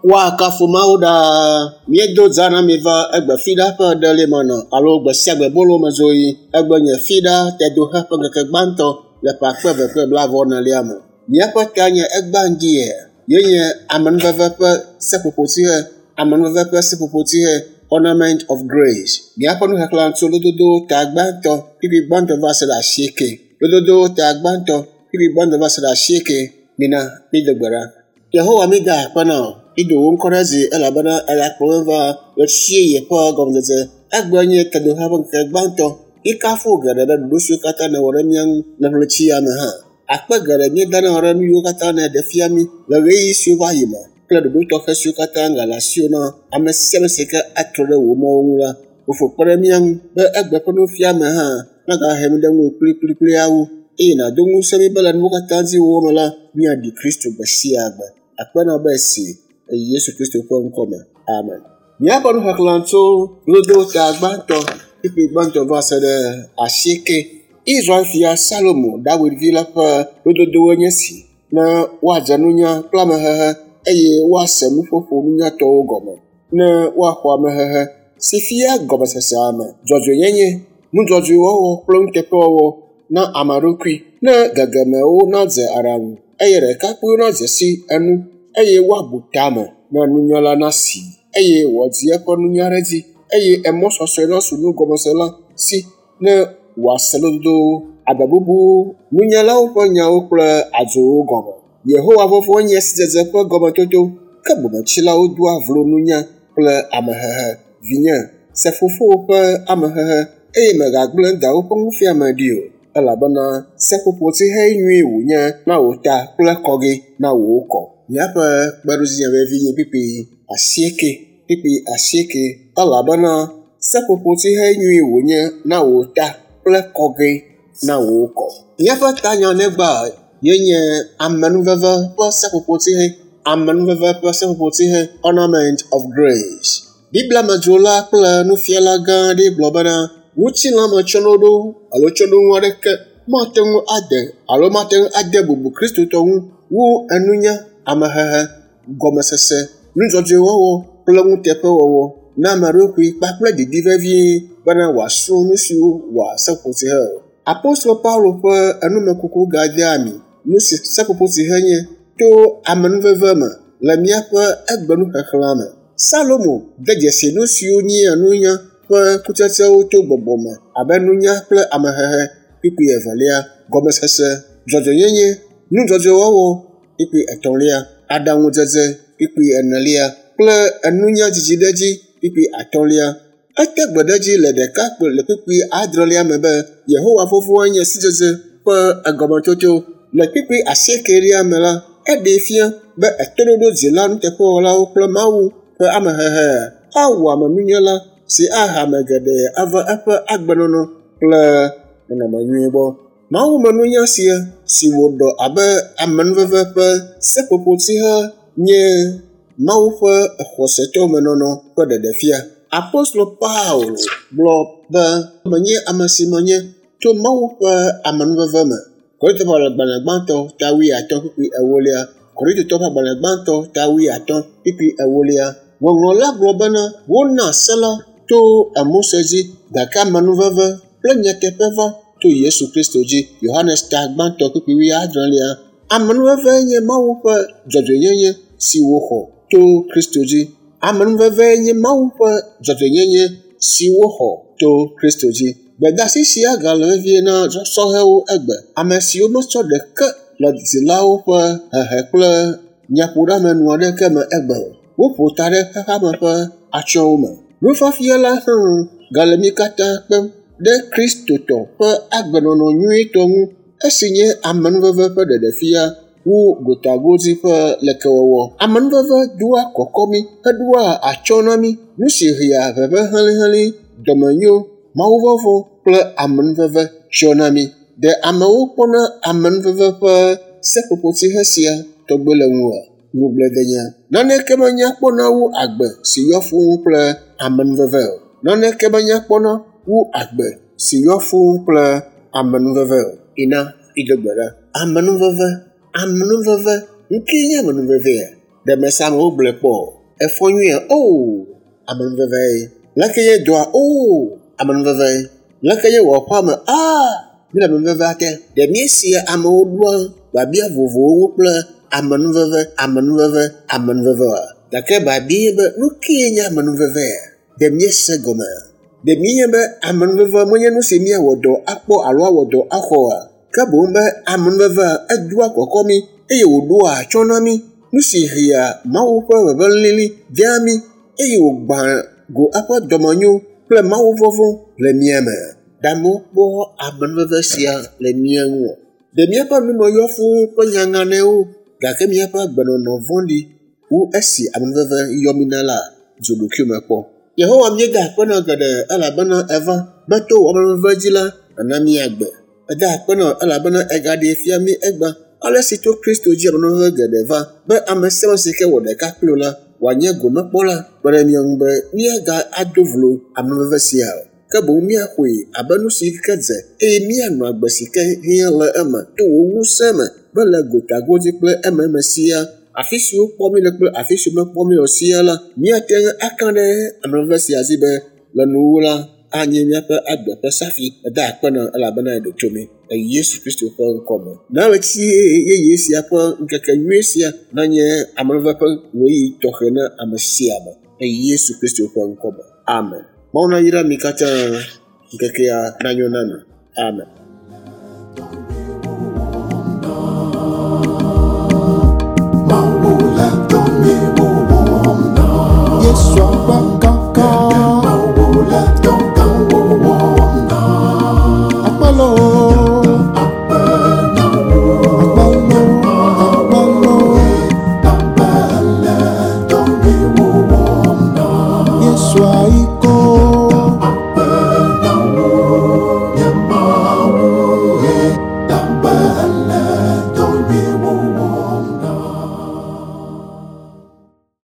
Woakafu Mawu ɖaa. Míedo dza na mi va egbe fiɖa ƒe ɖeli me nɔ alo gbe sia gbe bolo me zoɣi. Egbe nye fiɖa tedoxe ƒe ŋkeke gbãtɔ le ƒe akpe eve kple blaeve-vɔ-enelia me. Míaƒe ta nye egbea ŋdi yenye amenuveve ƒe seƒoƒotsihe, amenuveve ƒe seƒoƒotsihe, ornament of grace. Míaƒe nuxexlẽ tso lododo ta gbãtɔ kpukpui gbãtɔ va se ɖe asieke. Lododo ta gbãtɔ kpukpui gbãtɔ va se ɖe asieke. Mina mído gbe ɖa. Yehowa mi da akpe na wò. Mído wò ŋkɔ ɖe dzi elabena eya kplɔ mí va ɣetsiɣi ƒe gɔmedzedze. Egbe nye tedoxe ƒe ŋkeke gbãtɔ. Míekafu wò geɖe ɖe ɖoɖo siwo katã nèwɔ ɖe mía ŋu le ɣleti ya me hã. Akpe geɖe míeda na wò ɖe nu yiwo katã nèɖe fia mí le ɣeyiɣi siwo va yi me kple ɖoɖo tɔxɛ siwo katã gale asiwò na ame sia ame si ke atrɔ ɖe wò mɔwo ŋu la. Fofo kpe ɖe mía ŋu be egbe ƒe nufiame hã nagahe mí ɖe ŋuwò kplikplikpli awu eye nàdo ŋusẽ mí be le nuwo katã dzi wɔwɔ me la, míaɖi Kristo gbe sia gbe. Akpe na wò be esi le Yesu Kristo ƒe ŋkɔ me. Amen. Míaƒe nuxexlẽ tso lododo ta gbãtɔ kpukpui gbãtɔ va se ɖe asieke. Israel fia Salomo, Dawid vi la ƒe lododowoe nye esi ne woadze nunya kple amehehe eye woase nuƒoƒo nunyatɔwo gɔme, ne woaxɔ amehehe si fia gɔmesese ame, dzɔdzɔenyenye, nudzɔdzɔewɔwɔ kple nuteƒewɔwɔ na ame ɖokui, ne gegemewo nadze aɖaŋu eye ɖekakpuiwo nadze si enu eye woabu tame ne nunyala nasi eye wòadzi eƒe nunya ɖe edzi eye emɔ sɔsɔe nasu nugɔmesela si ne wòase lododowo, agbebubuwo, nunyalawo ƒe nyawo kple adzowo gɔme. Yehowa vɔvɔ̃ nye sidzedze ƒe gɔmetoto, ke bometsilawo doa vlo nunya kple amehehe. Vinye, se fofowò ƒe amehehe eye mègagblẽ dawò ƒe nufiame ɖi o, elabena seƒoƒotsihe nyui wònye na wò ta kple kɔgɛ na wò kɔ. Míaƒe kpeɖodzinya vevi nye kpukpui asieke, kpukpui asieke, elabena seƒoƒotsihe nyui wònye na wò ta kple kɔgɛ na wò kɔ. Míaƒe tanya negba yenye amenuveve ƒe seƒoƒotsihe, amenuveve ƒe seƒoƒotsihe, ornament of grace. Biblia medzrola kple nufiala gã aɖe gblɔ bena ŋutilãmetsyɔ̃ɖoɖo alo tsyɔ̃ɖonu aɖeke mate ŋu ade alo mate ŋu ade bubu Kristotɔ ŋu wu enunya, amehehe, gɔmesese, nudzɔdzɔewɔwɔ kple nuteƒewɔwɔ na ame ɖokui kpakple didi vevie bena wòasrɔ̃ nu siwo wɔa seƒoƒotsihe o. Apostolo Paulo ƒe enumekuku gadea ami nu si seƒoƒotsihe nye to amenuveve me le míaƒe egbenuxexlẽa me. Salomo de dzesi nu siwo nyea nunya ƒe kutsetsewo to gbɔgbɔ me abe nunya kple amehehe kpukpui evelia, gɔmesese, dzɔdzɔenyenye, nudzɔdzɔewɔwɔ kpukpui etɔ̃lia, aɖaŋudzedze kpukpui enelia kple enunya dzidziɖedzi kpukpui atɔ̃lia. Ete gbe ɖe edzi le ɖeka le kpukpui adrelia me be Yehowa vɔvɔ̃e nye sidzedze ƒe egɔmetoto. Le kpukpui asiekelia me la, eɖee fia be etoɖoɖo dzila nuteƒewɔlawo kple Mawu ƒe amehehe awɔ ame nunyala si ahe ame geɖe ava eƒe agbenɔnɔ kple nɔnɔme nyui gbɔ. Mawumenunya sia si wòɖɔ abe amenuveve ƒe seƒoƒotsihe nye Mawu ƒe xɔsetɔmenɔnɔ ƒe ɖeɖefia. Apostolo Paulo gblɔ be menye ame si menye tso Mawu ƒe amenuveve me. Korintotɔ ƒe agbalẽ gbãtɔ ta wuiatɔ̃ kpukpui ewolia. Korintotɔ ƒe agbalẽ gbãtɔ ta wuiatɔ̃ kpukpui ewolia. Ŋɔŋlɔ la gblɔ bena wona se la to Mose dzi gake amenuveve kple nyateƒe va to Yesu Kristo dzi. Yohanes ta gbãtɔ kpukpui wuiadrelia. Amenuveve nye Mawu ƒe dzɔdzɔenyenye si wòxɔ to Kristo dzi. Amenuveve nye Mawu ƒe dzɔdzɔenyenye si woxɔ to Kristo dzi. Gbedeasi sia gale vevie na sɔhɛwo egbe, ame siwo metsɔ ɖeke le dzilawo ƒe hehe kple nyaƒoɖeamenu aɖeke me egbe o. Woƒo ta ɖe xexeame ƒe atsyɔ̃wo me. Nufiafia la hã gale mí katã kpem ɖe Kristotɔ ƒe agbenɔnɔ nyuitɔ ŋu esi nye amenuveve ƒe ɖeɖefia wu gotagodzi ƒe lekewɔwɔ. Amenuveve doa kɔkɔ mí heɖoa atsyɔ̃ na mí, nu si hea ʋeʋẽ helĩhelĩ, dɔmenyo, mawuvɔvɔ̃ kple amenuveve tsyɔ na mí. Ɖe amewo kpɔna amenuveve ƒe seƒoƒotsihe sia tɔgbe le ŋuwòa? Ŋugbledenya. Naneke menya kpɔna wu agbe si yɔ fũu kple amenuveve o. Naneke menya kpɔna wu agbe si yɔ fũu kple amenuveve o. Ina, mido gbe ɖa. Amenuveve, amenuveve, nu kae nye amenuvevea? Ɖe mese amewo gblɔe kpɔ? Efɔ nyuie? Oo, amenuveve ye. Leke ye dɔa? Oo, amenuveve ye. Leke ye wɔ aƒea me? Aa, míele amenuvevea te. Ɖe míesia amewo ɖoa biabia vovovowo ŋu kple amenuveve, amenuveve, amenuveve oa? Gake biabia nye be, nu kae nye amenuvevea? Ɖe míese gɔmea? Ɖe míenya be amenuveve menye nu si míawɔ dɔ akpɔ alo awɔ dɔ axɔ oa? Ke boŋ be amenuvevea edoa kɔkɔ mí eye wòɖoa atsyɔ̃ na mí, nu si hea Mawu ƒe ʋeʋẽ lili dea mí eye wògbã go eƒe dɔmenyo kple mawuvɔvɔ̃ le mía me. Ɖe amewo kpɔ amenuveve sia le mía ŋua? Ɖe míaƒe nume yɔ fũu kple nyaŋanɛwo gake míaƒe agbenɔnɔ vɔ̃ɖi wu esi amenuveve yɔ mí na la? Dzo ɖokuiwò me kpɔ. Yehowa míeda akpe na geɖe elabena eva be to wò amenuveve dzi la, nàna mí agbe. Eda akpe na wò elabena ègaɖee fia mí egbea ale si to Kristo dzi amenuveve geɖe va be ame sia ame si ke wɔ ɖeka kpli wò la wòanye gomekpɔla kpe ɖe mía ŋu be míaga ado vlo amenuveve sia o. Ke boŋ míaxɔe abe nu si ke dze eye míanɔ agbe si ke hiã le eme to wò ŋusẽ me be le gotagodzi kple ememe sia, afi si wokpɔ mí le kple afi si womekpɔ mí o sia la, míate ŋu aka ɖe amenuveve sia dzi be le nuwuwu la, anye míaƒe agbe ƒe safi. Eda akpe na elabena eɖo to mí le Yesu Kristo ƒe ŋkɔ me. Na ɣleti yeye sia ƒe ŋkeke nyui sia nanye amenuveve ƒe ɣeyiɣi tɔxɛ na ame sia ame le Yesu Kristo ƒe ŋkɔ me. Amen. Mawu nayra mi katã. Ŋkekea nanyo na mi. Amen. Mawu le dɔ nyuiwo wɔm na. Yesu akpa.